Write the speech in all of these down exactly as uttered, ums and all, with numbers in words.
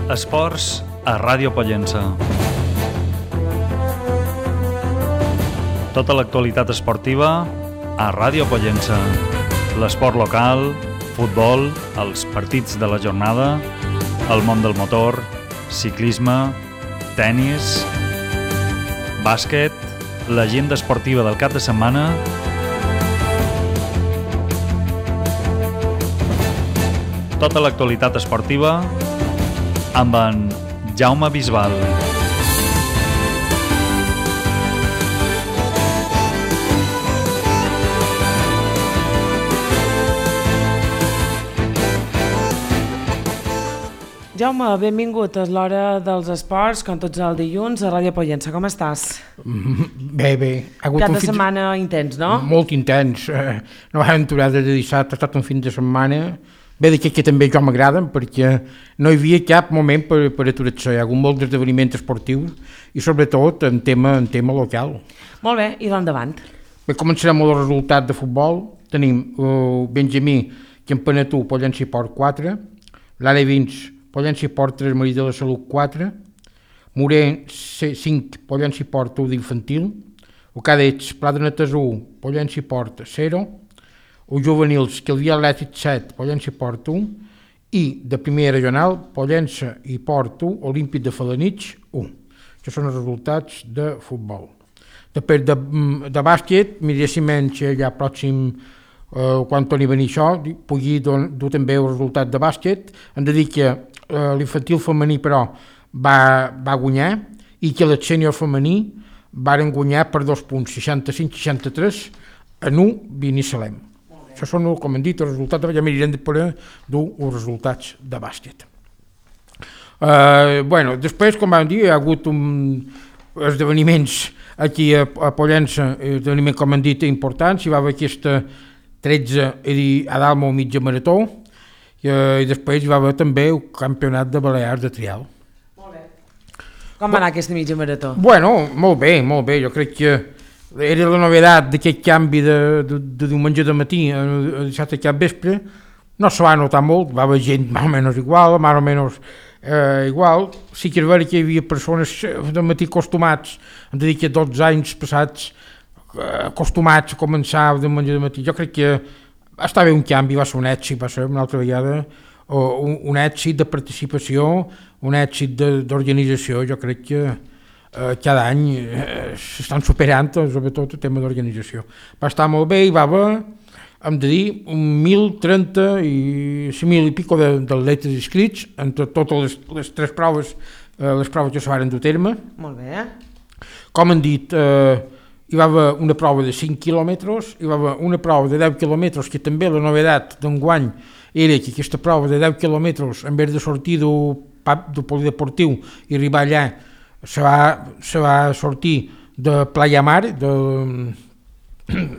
Esports a Ràdio Pollença. Tota l'actualitat esportiva a Ràdio Pollença. L'esport local, futbol, els partits de la jornada, el món del motor, ciclisme, tennis, bàsquet, l'agenda esportiva del cap de setmana, tota l'actualitat esportiva amb en Jaume Bisbal. Jaume, benvingut. És l'hora dels esports, com tots els dilluns, a Ràdio Pollença. Com estàs? Bé, bé. Cap de setmana intens, no? Molt intens. No vam aturar de dissabte, ha estat un fin de setmana. Bé, d'aquest que també jo m'agraden, perquè no hi havia cap moment per, per aturar-se. Hi ha hagut molts esdeveniments esportius i sobretot en tema, en tema local. Molt bé, i d'endavant. Bé, començarem amb el resultat de futbol. Tenim uh, Benjamí, Campanatú, Pollença i Port quatre, l'A vint, Pollença i Port tres, Marí de la Salut quatre, Moré cinc, Pollença i Port u d'infantil, o Cadets, Pla de Netes u, Pollença i Port zero, o juvenils, Calvià Atlètic set, Pollença i Port u, i de primera regional, Pollença i Port u, Olímpic de Felanitx u. Això són els resultats de futbol. Després de, de bàsquet, miréssim ja pròxim, eh, quan torni a venir això, pugui dur també el resultat de bàsquet. Hem de dir que eh, l'infantil femení, però, va, va guanyar, i que el sènior femení varen guanyar per dos punts, seixanta-cinc seixanta-tres, en u, Binissalem. Això són, com hem dit, els resultats, ja mirarem de poder dur els resultats de bàsquet. Uh, bueno, després, com vam dir, hi ha hagut un, esdeveniments aquí a, a Pollença, esdeveniments, com hem dit, importants. Hi va haver aquesta tretze a Dalma mitja marató, i, uh, i després hi va haver també el campionat de Balears de trial. Molt bé. Com va anar aquesta mitja marató? Bueno, molt bé, molt bé. Jo crec que era la novedat d'aquest canvi de, de, de diumenge de matí a, a dissabte cap vespre. No se va notar molt, va haver gent més o menys igual, més o menys eh, igual. Sí que és vera que hi havia persones de matí acostumats, hem de dir que dotze anys passats eh, acostumats a començar de diumenge de matí. Jo crec que estava bé un canvi, va ser un èxit, va ser una altra vegada un, un èxit de participació, un èxit d'organització. Jo crec que Uh, cada any uh, s'estan superant, sobretot el tema d'organització. Va estar molt bé, i va haver, hem de dir, un mil trenta i cinc mil i pico d'atletes inscrits entre totes les, les tres proves, uh, les proves que se van dur a terme. Molt bé. Com hem dit, uh, hi va haver una prova de cinc quilòmetres, hi va haver una prova de deu quilòmetres, que també la novedat d'enguany era que aquesta prova de deu quilòmetres, en vez de sortir del, del polideportiu i arribar allà, se va, se va sortir de Playa Mar, de,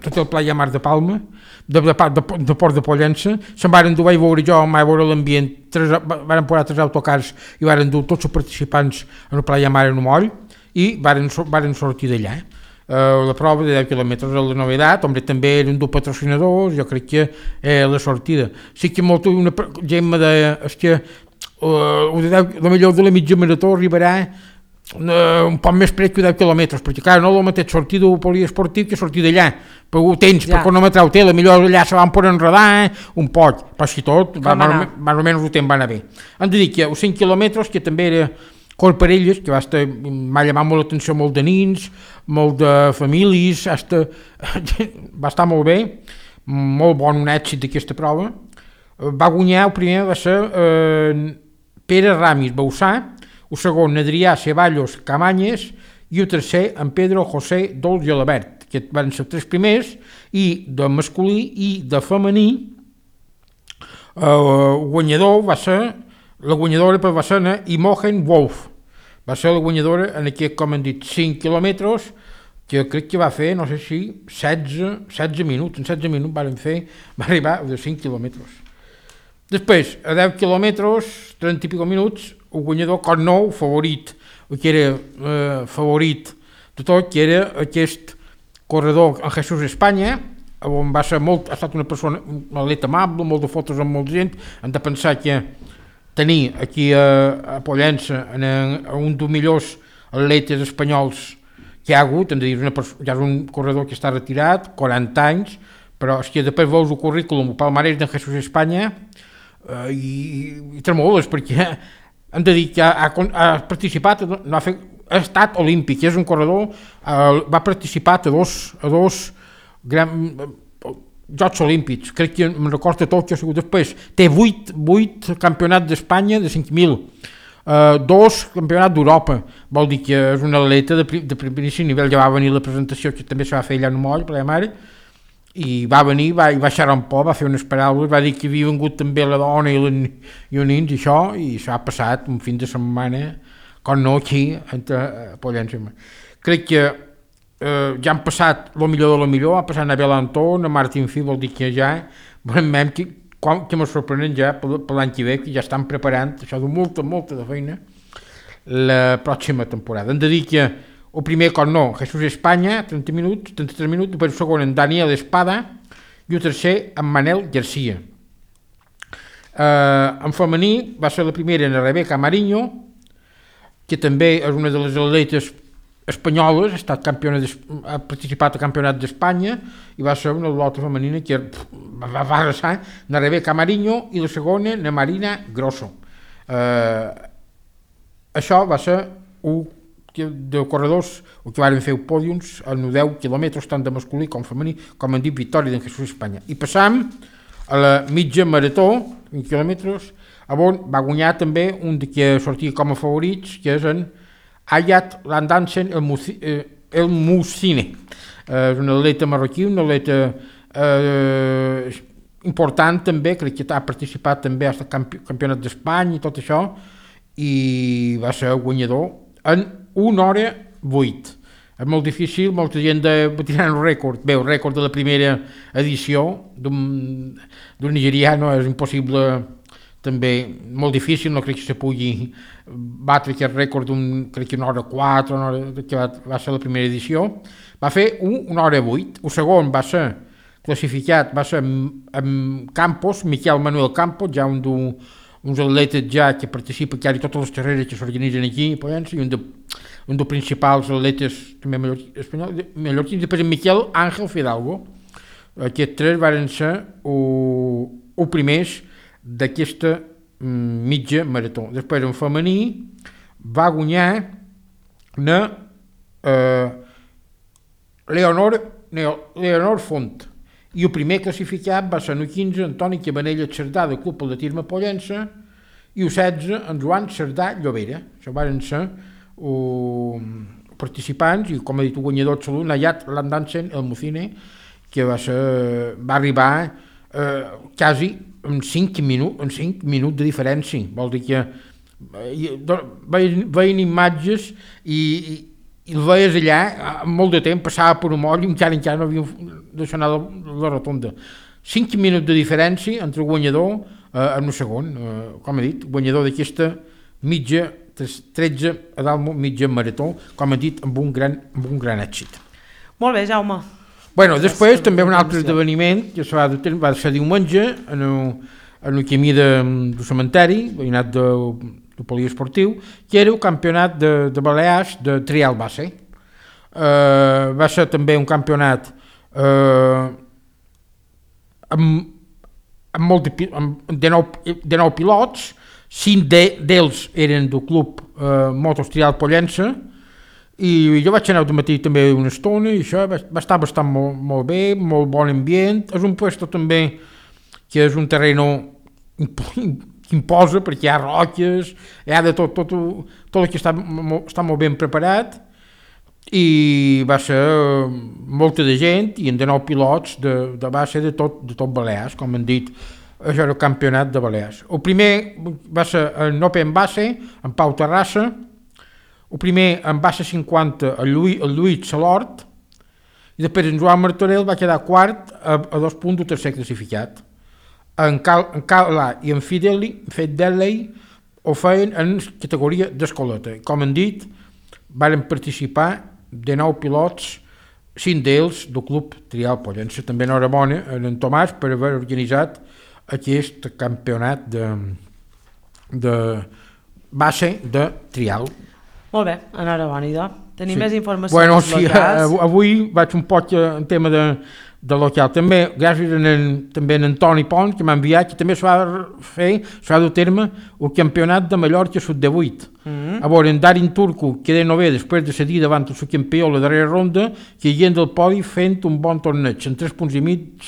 tot el Playa Mar de Palma, de, de, de, de Port de Pollença. Se'n varen dur, vaig veure jo, vaig veure l'ambient, varen posar tres autocars i varen dur tots els participants en el Playa Mar en un moll, i varen, varen sortir d'allà. Uh, la prova de deu quilòmetres és la novedat, home, també eren dos patrocinadors, jo crec que és la sortida. Sí que molt, una gent me deia, és que uh, de deu, la millor de la mitja marató arribarà Uh, un poc més pres que deu quilòmetres, perquè clar, no el mateix sortir del poliesportiu que sortir d'allà, però ho tens, ja. Per cronometrar-ho té, la millor allà se van poder enredar eh? un poc, però si tot, va, més, més o menys ho temps va anar bé. Hem de dir que els cinc quilòmetres, que també era Corparelles, que va estar, m'ha llamat molt l'atenció, molt de nins, molt de famílies, hasta, va estar molt bé, molt bon un èxit d'aquesta prova. Va guanyar, el primer va ser eh, Pere Ramis Bausà, el segon, Adrià Ceballos Camanyes, i el tercer, en Pedro José Dols i Alabert, que van ser tres primers, i de masculí i de femení, eh, el guanyador va ser, la guanyadora va ser Imogen Wolf, va ser la guanyadora en aquest, com hem dit, cinc quilòmetres, que crec que va fer, no sé si, setze, setze minuts, en setze minuts van fer, va arribar de cinc quilòmetres. Després, a deu quilòmetres, trenta i pico minuts, el guanyador, com nou, favorit, que era eh, favorit de tot, que era aquest corredor en Jesús Espanya, on va ser molt, ha estat una persona, un atleta amable, molt de fotos amb molta gent. Hem de pensar que tenir aquí a, a Pollença en, en un dels millors atletes espanyols que hi ha hagut, hem de dir, una, ja és un corredor que està retirat, quaranta anys, però és que després veus el currículum, el palmarès d'en Jesús Espanya, eh, i, i tremoles, perquè hem de dir que ha, ha, ha participat, no ha, fet, ha estat olímpic, és un corredor, eh, va participar a dos, a dos gran, eh, Jocs Olímpics, crec que me'n recordo tot que ha sigut després, té vuit, vuit campionats d'Espanya de cinc mil, uh, dos campionats d'Europa, vol dir que és un atleta de, de primeríssim nivell, ja va venir la presentació que també se va fer allà en Moll, per la mare, i va venir, va, i va xerrar un poc, va fer unes paraules, va dir que havia vingut també la dona i, la, i els nins i això, i s'ha passat un fin de setmana, com no aquí, entre uh, Pollença. Crec que Uh, ja han passat el millor de lo millor, ha passat a Abel Anton, a Martín Fi, vol dir que ja veurem que, que me sorprenen ja per, per l'any que ve, que ja estan preparant això de molta, molta de feina la pròxima temporada. Hem de dir que el primer, com no, Jesús Espanya, trenta minuts, trenta-tres minuts, després el segon en Daniel Espada i el tercer en Manel Garcia. Uh, en femení va ser la primera en Rebeca Mariño, que també és una de les atletes espanyoles, ha, estat campiona ha participat al Campionat d'Espanya i va ser una atleta femenina que va, va arrasar, na Rebeca Mariño, i la segona, na Marina Grosso. Eh, això va ser un de corredors el que van fer pòdiums en deu quilòmetres tant de masculí com femení, com han dit, victòria d'en Jesús Espanya. I passam a la mitja marató, vint quilòmetres, on va guanyar també un de que sortia com a favorits, que és en Ayat Landansen El, Musi, eh, el Musine. Eh, és un atleta marroquí, un atleta eh, important també, crec que ha participat també al campi campionat d'Espanya i tot això, i va ser guanyador en una hora vuit. És molt difícil, molta gent de tirar un rècord. Bé, el rècord de la primera edició d'un nigeriano és impossible, també molt difícil, no crec que se pugui batre aquest rècord d'un, crec que una hora quatre, una hora, que va, va ser la primera edició. Va fer un, una hora vuit. El segon va ser classificat, va ser amb, amb Campos, Miquel Manuel Campos, ja un d'uns atletes ja que participa que hi ha totes les carreres que s'organitzen aquí, i un, de, un dels principals atletes també mallorquins, després en Miquel Ángel Fidalgo. Aquests tres van ser els primers d'aquesta mitja marató. Després en femení va guanyar na eh, Leonor, Leonor Font, i el primer classificat va ser el quinze Antoni Cabanella Cerdà del Club Atletisme Pollença i el setze en Joan Cerdà Llobera. Això van ser uh, participants i, com ha dit el guanyador absolut, Nayat Landansen El Mucine, que va, ser, va arribar eh, quasi en cinc minuts, en cinc minuts de diferència. Vol dir que veien, veien imatges i, i, i el veies allà molt de temps, passava per un moll i encara encara no havia deixat anar la, la rotonda. Cinc minuts de diferència entre el guanyador eh, en un segon, eh, com he dit, guanyador d'aquesta mitja, tretze a dalt mitja marató, com he dit, amb un gran, amb un gran èxit. Molt bé, Jaume. Bueno, després també un altre esdeveniment que va, va ser diumenge en el, en el camí de, del cementeri, veïnat del, del poliesportiu, que era el campionat de, de Balears de trial base. Uh, va ser també un campionat uh, amb, amb, molt de, amb de, nou, de nou pilots, cinc d'ells eren del club uh, Motos Trial Pollença, i jo vaig anar al matí també una estona i això va, va estar bastant molt, molt bé, molt bon ambient. És un puesto també que és un terreno que imposa perquè hi ha roques, hi ha de tot, tot, tot el que està, està molt ben preparat, i va ser molta de gent i de nou pilots de, de base de tot, de tot Balears, com han dit, això era el campionat de Balears. El primer va ser en Open Base, en Pau Terrassa. El primer en base cinquanta el Lluís, el Lluís Salort, i després en Joan Martorell va quedar quart a, a dos punts del tercer classificat. En Cal, en Cala i en Fideli, Fideli ho feien en categoria d'escoleta. Com han dit, van participar de nou pilots, cinc d'ells del Club Trial Pollença. També enhorabona a en Tomàs per haver organitzat aquest campionat de, de base de trial. Molt bé, enhorabona, idò. Tenim Sí. més informacions Bueno, sí, locals. avui vaig un poc en tema de, de local. També, gràcies a en, també a en Toni Pont, que m'ha enviat, que també s'ha de fer, s'ha de dur terme el campionat de Mallorca sub divuit. Mm. A veure, en Darin Turco queda nové després de cedir davant el subcampió a la darrera ronda, que hi del podi fent un bon torneig, en tres punts i mig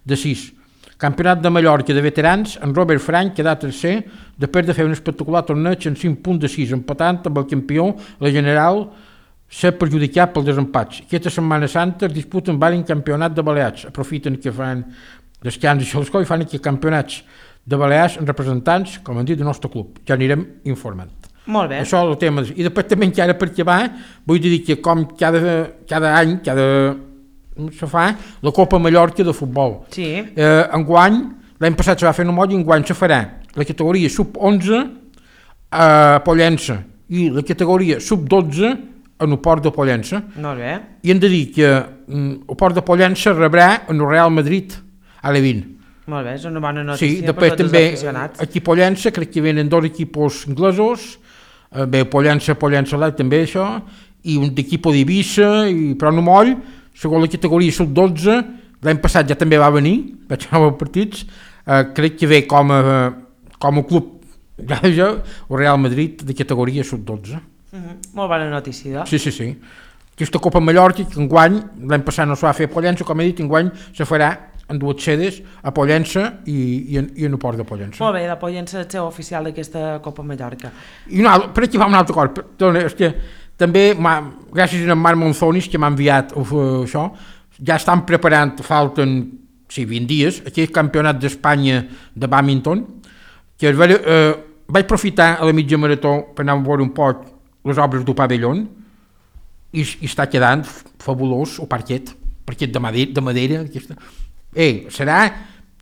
de sis. Campionat de Mallorca de veterans, en Robert Frank queda tercer, després de fer un espectacular torneig en cinc punts de sis, empatant amb el campió, la general, s'ha perjudicat pel desempats. Aquesta Setmana Santa es disputen diversos campionats de Balears. Aprofiten que fan descans i xolscó i fan aquí campionats de Balears en representants, com han dit, del nostre club. Ja anirem informant. Molt bé. Això és el tema. I després també encara per acabar, vull dir que com cada, cada any, cada se fa la Copa Mallorca de futbol. Sí. Eh, enguany, l'any passat se va fer un moll i enguany se farà la categoria sub onze a Pollença i la categoria sub dotze en el Port de Pollença. Molt bé. I hem de dir que mm, el Port de Pollença rebrà en el Real Madrid a l'E vint. Molt bé, és una bona notícia Sí, per després tots també els aficionats. aquí a Pollença crec que venen dos equipos inglesos, eh, bé, Pollença, Pollença Light també això, i un d'equip d'Eivissa, i però no moll, segons la categoria sub dotze, l'any passat ja també va venir, vaig anar als partits, eh, crec que ve com a, com a club ja, ja, el Real Madrid de categoria sub dotze. Uh -huh. Molt bona notícia. Sí, sí, sí. Aquesta Copa Mallorca, que enguany, l'any passat no se va fer a Pollença, com he dit, enguany se farà en dues sedes, a Pollença i, i, en, i en el Port de Pollença. Molt bé, la Pollença és el seu oficial d'aquesta Copa Mallorca. I una, per aquí va una altra cosa, perdona, és que també, gràcies a en Marc Monzonis, que m'ha enviat uh, això, ja estan preparant, falten sí, vint dies, aquell campionat d'Espanya de bàdminton, que eh, vaig aprofitar a la mitja marató per anar a veure un poc les obres del pavelló i, i està quedant fabulós el parquet, parquet de madera, de madera aquesta. Ei, serà,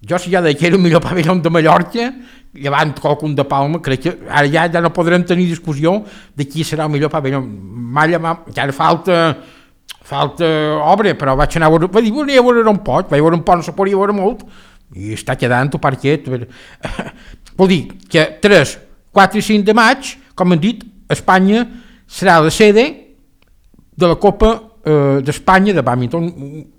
jo si ja deia que era el millor pavelló de Mallorca, llevant qualcun de Palma, crec que ara ja, ja no podrem tenir discussió de qui serà el millor pavelló. Malla, encara falta, falta obra, però vaig anar a veure, vaig dir, vaig a veure un poc, vaig veure un poc, no se podia veure molt, i està quedant el parquet. Vol dir que tres, quatre i cinc de maig, com han dit, Espanya serà la sede de la Copa eh, d'Espanya de bàdminton,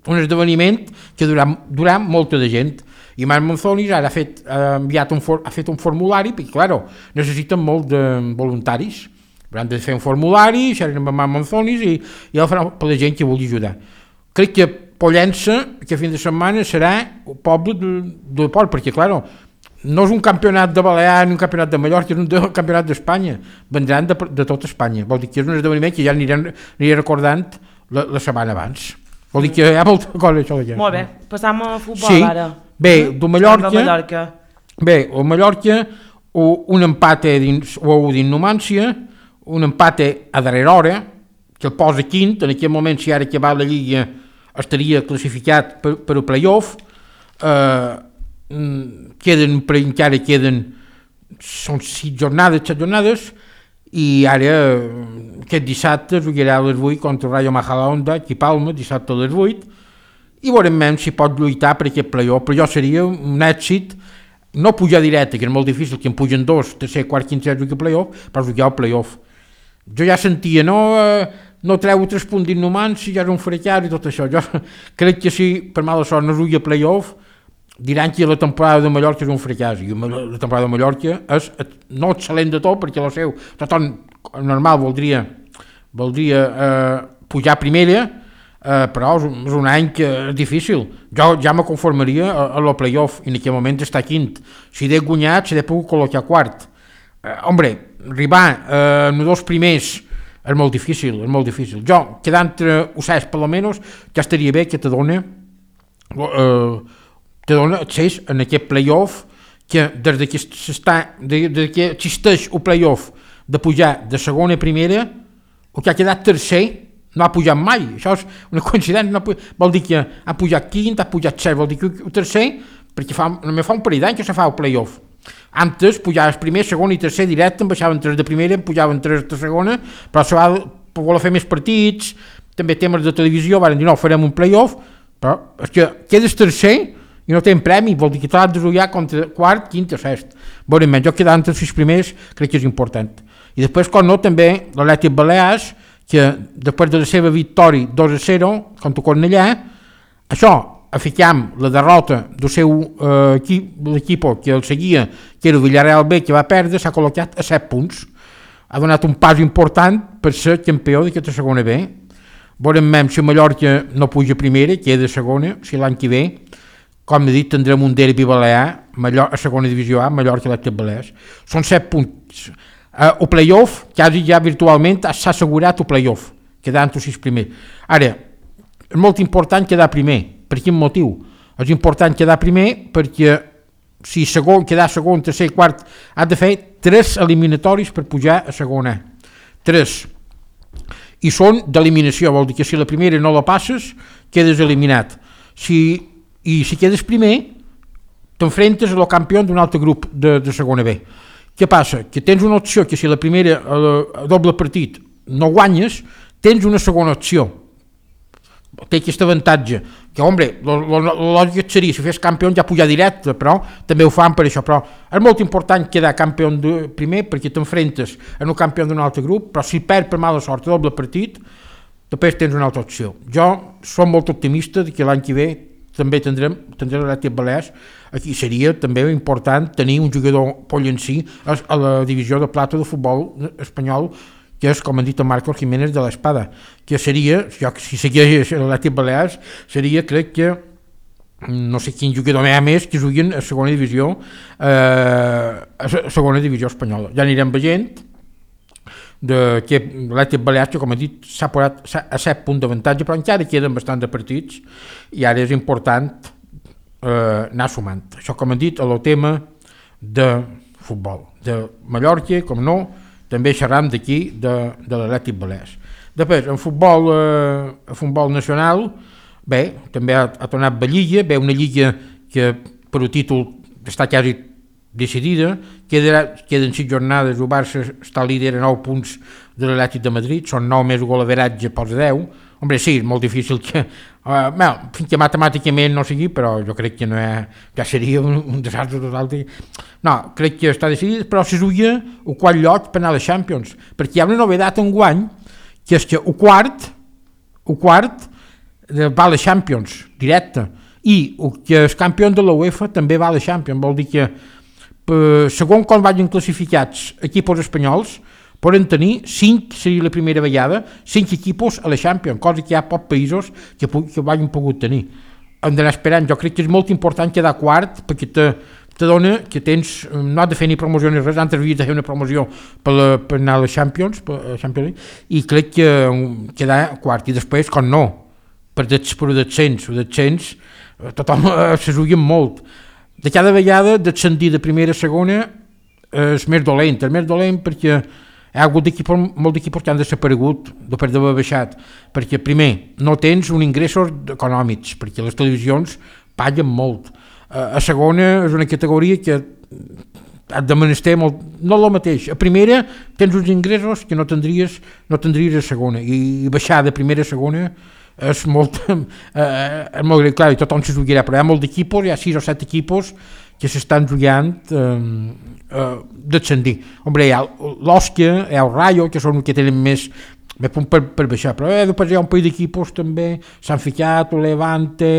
un esdeveniment que durà, durà molta de gent. I Marc Monzonis ara ha fet, ha enviat un, for, ha fet un formulari, perquè, claro, necessiten molt de voluntaris. Hauran de fer un formulari, xerren amb Marc Monzonis i, i el faran per la gent que vulgui ajudar. Crec que Pollença, aquest fin de setmana, serà el poble del, del port, perquè, claro, no és un campionat de Balears ni un campionat de Mallorca, és un, de, un campionat d'Espanya. Vendran de, de tot Espanya. Vol dir que és un esdeveniment que ja anirem, aniré recordant la, la setmana abans. Vol dir que hi ha molta cosa això d'aquí. Molt bé, passam a futbol sí. ara. Bé, del Mallorca, Mallorca. Bé, el Mallorca, un empate dins, o dins Numància, un empate a darrera hora, que el posa quint, en aquell moment si ara acabat la Lliga estaria classificat per, per el play-off, eh, queden, per encara queden, són sis jornades, set jornades, i ara aquest dissabte es jugarà a les vuit contra el Rayo Majadahonda, aquí a Palma, dissabte a les vuit, i veurem si pot lluitar per aquest play-off, però jo seria un èxit, no pujar directe, que és molt difícil, que en pugen dos, tercer, quart, quinze, jugar play-off, però jugar al play-off. Jo ja sentia, no, no treu tres punts d'innomants, si ja és un fracàs i tot això. Jo crec que si per mala sort no jugui a play-off, diran que la temporada de Mallorca és un fracàs, i la temporada de Mallorca és no excel·lent de tot, perquè el seu, tothom normal voldria, voldria eh, pujar a primera, eh, però és un, és un any que és difícil. Jo ja me conformaria a, a la play-off, i en aquell moment està quint. Si he guanyat, si he pogut col·locar quart. Eh, hombre, arribar eh, en els dos primers és molt difícil, és molt difícil. Jo, quedant entre els set per almenys, ja estaria bé que te dona eh, te dona accés en aquest play-off, que des de que, s'està, de, de que existeix el play-off de pujar de segona a primera, el que ha quedat tercer no ha pujat mai. Això és una coincidència, no ha pujat, vol dir que ha pujat quint, ha pujat set, vol dir que el tercer, perquè fa, només fa un parell d'anys que se fa el play-off. Antes pujaves primer, segon i tercer directe, en baixaven tres de primera, en pujaven tres de segona, però se va per voler fer més partits, també temes de televisió, van dir no, farem un play-off, però és que quedes tercer i no tenen premi, vol dir que t'has de jugar contra quart, quint o sest. Veurem menys, jo quedar entre els sis primers crec que és important. I després, com no, també l'Atlètic Balears, que després de la seva victòria dos a zero contra Cornellà, això, aficam la derrota del seu eh, equip, l'equip que el seguia, que era el Villarreal B, que va perdre, s'ha col·locat a set punts. Ha donat un pas important per ser campió d'aquesta segona B. Veurem même si Mallorca no puja a primera, queda a segona, si l'any que ve, com he dit, tindrem un derbi balear, Mallor- a segona divisió A, Mallorca i l'Atlètic Balears. Són set punts. Uh, el play-off, quasi ja virtualment s'ha assegurat el play-off, quedant els sis primers. Ara, és molt important quedar primer. Per quin motiu? És important quedar primer perquè si segon, quedar segon, tercer i quart, ha de fer tres eliminatoris per pujar a segona. Tres. I són d'eliminació, vol dir que si la primera no la passes, quedes eliminat. Si, I si quedes primer, t'enfrentes al campió d'un altre grup de, de segona B. Què passa? Que tens una opció que si la primera, a doble partit, no guanyes, tens una segona opció. Té aquest avantatge, que, hombre, la lògica seria, si fes campió ja pujar directe, però també ho fan per això, però és molt important quedar campió de primer perquè t'enfrentes en un campió d'un altre grup, però si perds per mala sort a doble partit, després tens una altra opció. Jo som molt optimista que l'any que ve també tindrem, tindrem l'Atlètic Balears. Aquí seria també important tenir un jugador pollencí a la divisió de plata de futbol espanyol, que és, com han dit, el Marcos Jiménez de l'Espada, que seria, jo, si segueix l'Atlètic Balears, seria, crec que, no sé quin jugador més que juguin a segona divisió, eh, a segona divisió espanyola. Ja anirem veient de que l'Atlètic Balears, que com he dit, s'ha posat a set punts d'avantatge, però encara queden bastant de partits i ara és important eh, anar sumant. Això, com he dit, a el tema de futbol, de Mallorca, com no, també xerram d'aquí, de, de l'Atlètic Balears. Després, en futbol, eh, en futbol nacional, bé, també ha, ha tornat la Lliga, bé, una Lliga que per el títol està quasi decidida, quedarà, queden sis jornades, el Barça està líder a nou punts de l'Atlètic de Madrid, són nou més golaveratge pels deu. Hombre, sí, és molt difícil que... Uh, bueno, fins que matemàticament no sigui, però jo crec que no és, ja seria un, un desastre total. No, crec que està decidit, però se juga el quart lloc per anar a les Champions, perquè hi ha una novedat enguany, que és que el quart, el quart va a les Champions, directe, i el que és campió de la UEFA també va a les Champions, vol dir que per, segons com vagin classificats equips espanyols, poden tenir cinc, seria la primera vegada, cinc equipos a la Champions, cosa que hi ha pocs països que, que ho hagin pogut tenir. Hem d'anar esperant, jo crec que és molt important quedar quart, perquè te, te dona que tens, no has de fer ni promoció ni res, antes havies de fer una promoció per, la, per anar a la Champions, per, a Champions, i crec que quedar quart, i després, com no, per, des, per el descens, el descens, tothom eh, se juguen molt. De cada vegada, descendir de primera a segona és més dolent, és més dolent perquè hi ha hagut equipos, molts d'equipos que han desaparegut després d'haver baixat, perquè primer no tens un ingressos econòmics, perquè les televisions paguen molt. A segona és una categoria que has de menester molt, no el mateix. A primera tens uns ingressos que no tindries, no tindries a segona, i baixar de primera a segona és molt, eh, és molt greu, clar, i tothom se jugarà, però hi ha molts d'equipos, hi ha sis o set equipos que s'estan jugant eh, eh, descendir. Hombre, hi ha l'Òsquia, hi ha el Rayo, que són els que tenen més, més punt per, per baixar, però eh, després hi ha un parell d'equipos també, s'han ficat, el Levante,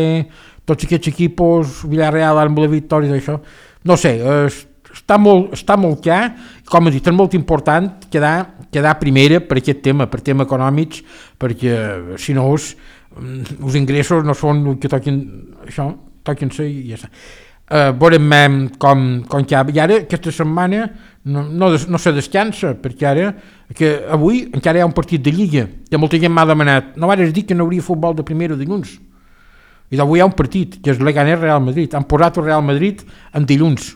tots aquests equipos, Villarreal, amb la victòria d'això, no sé, eh, està molt, està molt clar, com he dit, és molt important quedar, quedar primera per aquest tema, per temes econòmics, perquè si no els, els ingressos no són el que toquen, això, toquen ser i ja està. Uh, veurem com, com que i ara aquesta setmana no, no, no se descansa, perquè ara que avui encara hi ha un partit de Lliga que molta gent m'ha demanat, no vares dir que no hauria futbol de primera dilluns, i d'avui hi ha un partit que és Leganés Real Madrid, han posat el Real Madrid en dilluns.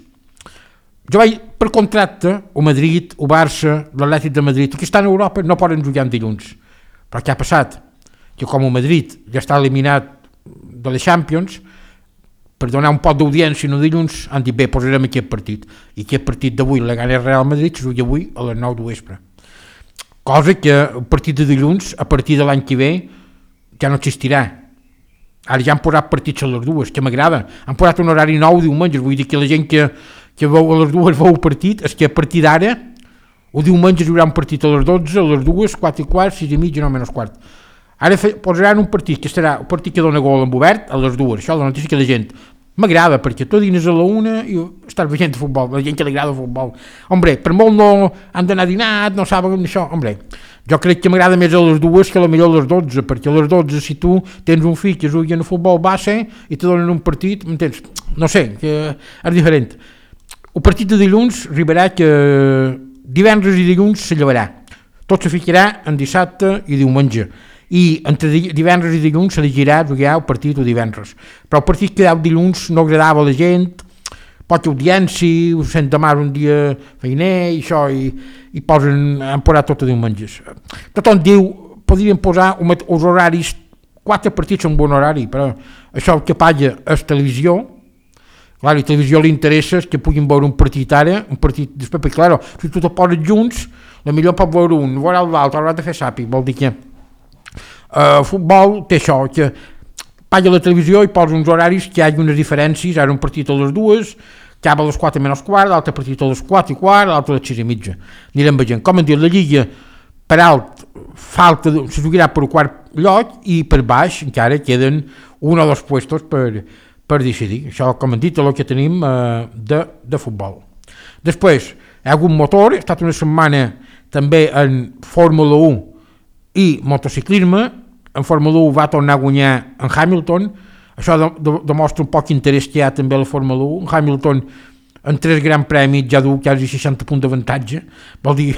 Jo vaig per contracte el Madrid, el Barça, l'Atlètic de Madrid, que estan a Europa no poden jugar en dilluns, però què ha passat? Que com el Madrid ja està eliminat de les Champions, per donar un pot d'audiència no dilluns, han dit, bé, posarem aquest partit. I aquest partit d'avui, la Leganés Real Madrid, se juga avui a les nou de vespre. Cosa que el partit de dilluns, a partir de l'any que ve, ja no existirà. Ara ja han posat partits a les dues, que m'agrada. Han posat un horari nou diumenges, vull dir que la gent que, que veu a les dues veu el partit, és que a partir d'ara, o diumenges hi haurà un partit a les dotze, a les dues, quatre i quart, sis i mitja, no menys quart. Ara fe, posaran un partit que serà un partit que dona gol en obert a les dues, això la notícia que la gent m'agrada, perquè tu dines a la una i estàs veient futbol, la gent que li agrada el futbol. Hombre, per molt no han d'anar a dinar, no saben això, hombre, jo crec que m'agrada més a les dues que a la millor a les dotze, perquè a les dotze si tu tens un fill que jugui en el futbol base i te donen un partit, m'entens? No sé, que és diferent. El partit de dilluns arribarà que divendres i dilluns se llevarà. Tot se ficarà en dissabte i diumenge. I entre divendres i dilluns s'elegirà jugar el partit o divendres. Però el partit que deu dilluns no agradava a la gent, poca audiència, ho sent demà un dia feiner i això, i, i posen, han posat tot a diumenges. Tothom diu, podrien posar els horaris, quatre partits en bon horari, però això el que paga és televisió. Clar, i a televisió li interessa que puguin veure un partit ara, un partit després, perquè clar, si tu te poses junts, la millor pot veure un, veurà l'altre, haurà de fer sàpic, vol dir que el uh, futbol té això, que paga la televisió i posa uns horaris que hi hagi unes diferències, ara un partit a les dues, acaba a les quatre menys quart, l'altre partit a les quatre i quart, l'altre a les sis i mitja. Anirem veient. Com en dit, la Lliga per alt falta, se jugarà per quart lloc i per baix encara queden un o dos puestos per, per decidir. Això, com han dit, és el que tenim uh, de, de futbol. Després, hi ha hagut motor, ha estat una setmana també en Fórmula u i motociclisme. En Fórmula u va tornar a guanyar en Hamilton, això de, de, demostra un poc interès que hi ha també a la Fórmula u. En Hamilton en tres grans premis ja du quasi seixanta punts d'avantatge, vol dir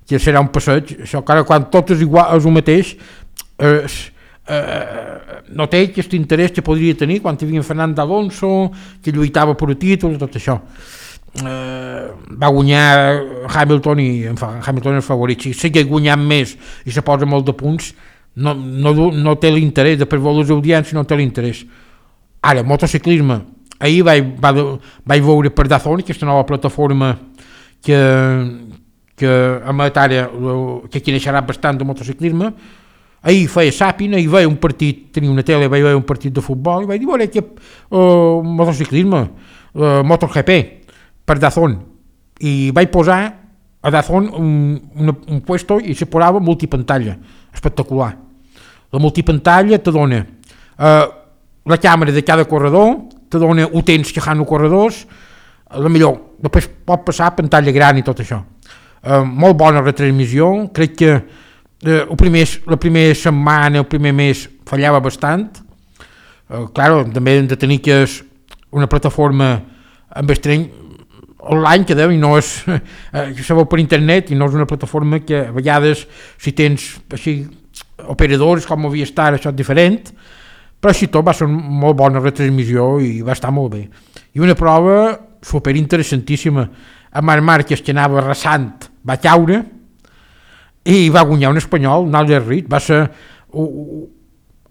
que serà un passeig. Això, clar, quan tot és igual, és el mateix, eh, eh, no té aquest interès que podria tenir quan hi havia Fernando Alonso, que lluitava per el títol, tot això. Eh, va guanyar Hamilton i en Hamilton és favorit. Si segueix guanyant més i se posa molt de punts, no, no, no té l'interès, després veure les audiències no té l'interès. Ara, motociclisme, ahir vaig, vaig veure per Dazón, aquesta nova plataforma que, que emet ara, que aquí naixerà bastant de motociclisme. Ahir feia sàpina, ahir veia un partit, tenia una tele, vaig veure un partit de futbol i vaig dir, veure, que uh, motociclisme, uh, MotoGP, per Dazón, i vaig posar a Dazón un, un, un puesto i se posava multipantalla, espectacular. La multipantalla te dona eh, la càmera de cada corredor, te dona utents que fan els corredors, la millor, després pot passar a pantalla gran i tot això. Eh, molt bona retransmissió, crec que eh, el primer, la primera setmana, el primer mes fallava bastant, eh, clar, també hem de tenir que és una plataforma amb estreny online que deu i no és eh, se veu per internet i no és una plataforma que a vegades si tens així operadors com havia estat això és diferent, però així tot va ser una molt bona retransmissió i va estar molt bé. I una prova super interessantíssima, a Marc Márquez que anava arrasant va caure i va guanyar un espanyol, Naler Reed, va ser uh,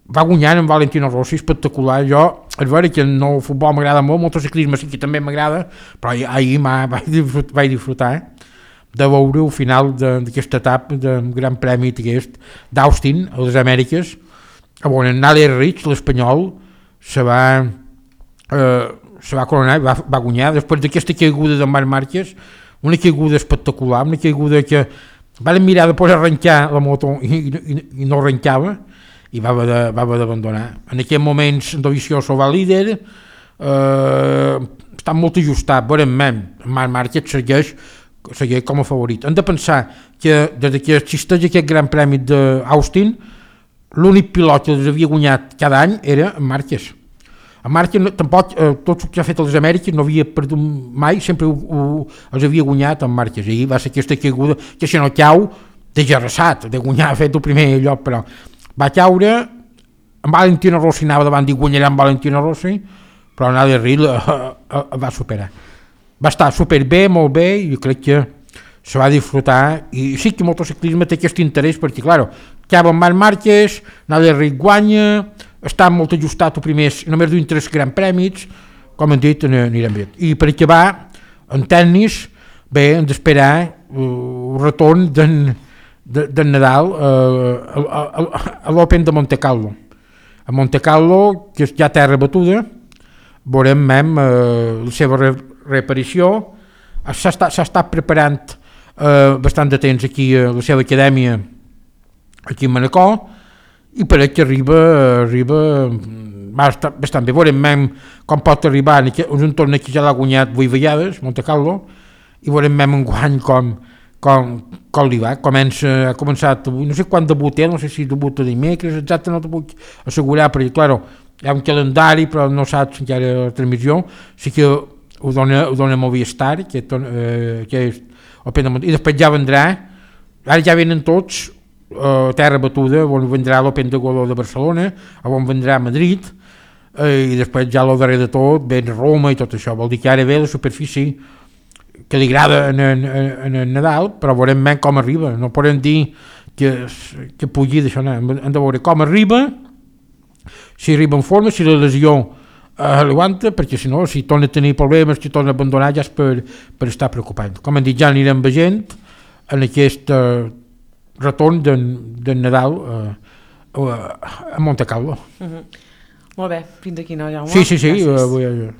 va guanyar en Valentino Rossi, espectacular. Jo, és vera que no, el futbol m'agrada molt, el motociclisme sí que també m'agrada, però ahir vaig disfrutar, vaig disfrutar eh, de veure el final d'aquesta etapa del Gran Premi d'Austin, a les Amèriques, on en Naler Reed, l'espanyol, se va, eh, se va coronar, va, va guanyar, després d'aquesta caiguda de Marc Márquez, una caiguda espectacular, una caiguda que van mirar de poder arrencar la moto i, i, i no arrencava, i va haver d'abandonar. En aquells moments Dovizioso va líder, eh, està molt ajustat, veurem, Marc Márquez segueix, segueix com a favorit. Hem de pensar que des que existeix aquest Gran Premi d'Austin, l'únic pilot que els havia guanyat cada any era en Márquez. En Márquez tampoc, eh, tot el que ha fet a les Amèriques no havia perdut mai, sempre ho, ho, els havia guanyat en Márquez. I va ser aquesta caiguda que si no cau, de gerrassat, de guanyar, ha fet el primer lloc, però va caure, en Valentino Rossi anava davant i guanyarà en Valentino Rossi, però Naler Reed va superar. Va estar superbé, molt bé, i jo crec que se va disfrutar, i sí que el motociclisme té aquest interès, perquè, clar, acaba amb Marc Márquez, Naler Reed guanya, està molt ajustat el primer, només duim tres grans prèmits, com hem dit, anirem bé. I per acabar, en tennis, bé, hem d'esperar el retorn d'en de, de Nadal uh, a, a, a l'Open de Monte Carlo. a Monte Carlo, que és ja terra batuda, veurem mem eh, la seva re reaparició. S'ha estat, estat preparant eh, bastant de temps aquí a la seva acadèmia aquí a Manacor, i per que arriba, arriba bastant, bastant bé. Veurem mem com pot arribar en un torn que ja l'ha guanyat vuit vegades, Monte Carlo, i veurem mem en guany com, com, com li va. Comença, ha començat, no sé quan debuta, no sé si debuta dimecres, exacte no t'ho puc assegurar, perquè, claro, hi ha un calendari, però no saps encara la transmissió, sí que ho dona, ho dona Movistar, que, eh, que és Open, i després ja vendrà, ara ja venen tots, eh, terra batuda, on vendrà l'Open de Godó de Barcelona, on vendrà Madrid, eh, i després ja el darrer de tot ven Roma i tot això, vol dir que ara ve la superfície que li agrada en, en, en el Nadal, però veurem ben com arriba, no podem dir que, que pugui d'això, no. Hem de veure com arriba, si arriba en forma, si la lesió eh, l'aguanta, perquè si no, si torna a tenir problemes, si torna a abandonar, ja és per, per estar preocupat. Com hem dit, ja anirem veient en aquest eh, retorn del de Nadal eh, a Monte Carlo. Uh -huh. Molt bé, fins aquí, no, Jaume? Sí, sí, sí. Uh,